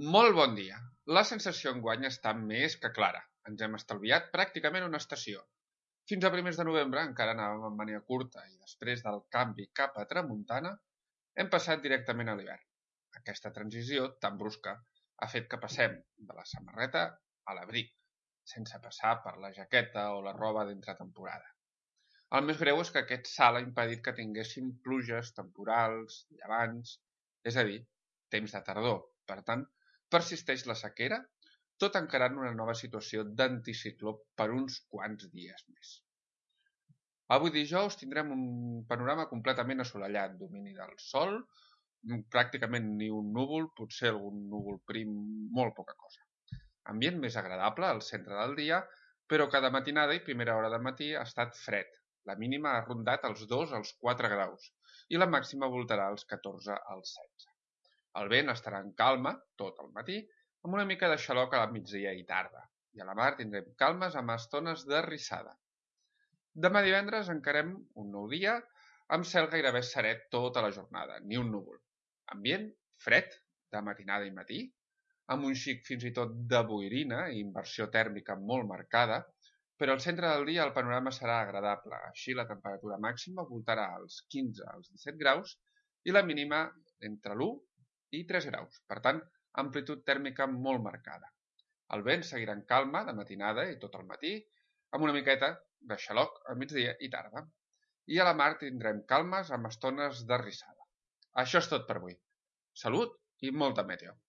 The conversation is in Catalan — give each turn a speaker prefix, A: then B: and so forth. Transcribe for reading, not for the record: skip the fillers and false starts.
A: Molt bon dia. La sensació enguany està més que clara. Ens hem estalviat pràcticament una estació. Fins a primers de novembre encara anàvem amb màniga curta i després del canvi cap a tramuntana hem passat directament a l'hivern. Aquesta transició tan brusca ha fet que passem de la samarreta a l'abric, sense passar per la jaqueta o la roba d'entretemporada. El més greu és que aquest salt ha impedit que tinguéssim pluges temporals, llevants, és a dir, temps de tardor. Per tant, persisteix la sequera, tot encarant una nova situació d'anticicló per uns quants dies més. Avui dijous tindrem un panorama completament assolellat, domini del sol, pràcticament ni un núvol, potser algun núvol prim, molt poca cosa. Ambient més agradable al centre del dia, però cada matinada i primera hora de matí ha estat fred. La mínima ha rondat els 2 als 4 graus i la màxima voltarà als 14 als 16. El vent estarà en calma tot el matí, amb una mica de xaloc a la migdia i tarda, i a la mar tindrem calmes amb estones de rissada. Demà divendres encarem un nou dia amb cel gairebé serè tota la jornada, ni un núvol. Ambient fred de matinada i matí, amb un xic fins i tot de boirina i inversió tèrmica molt marcada, però al centre del dia el panorama serà agradable. Així la temperatura màxima voltarà als 15 als 17 graus i la mínima entre l'1 i 3 graus. Per tant, amplitud tèrmica molt marcada. El vent seguirà en calma de matinada i tot el matí, amb una miqueta de xaloc a migdia i tarda. I a la mar tindrem calmes amb estones de rissada. Això és tot per avui. Salut i molta meteo!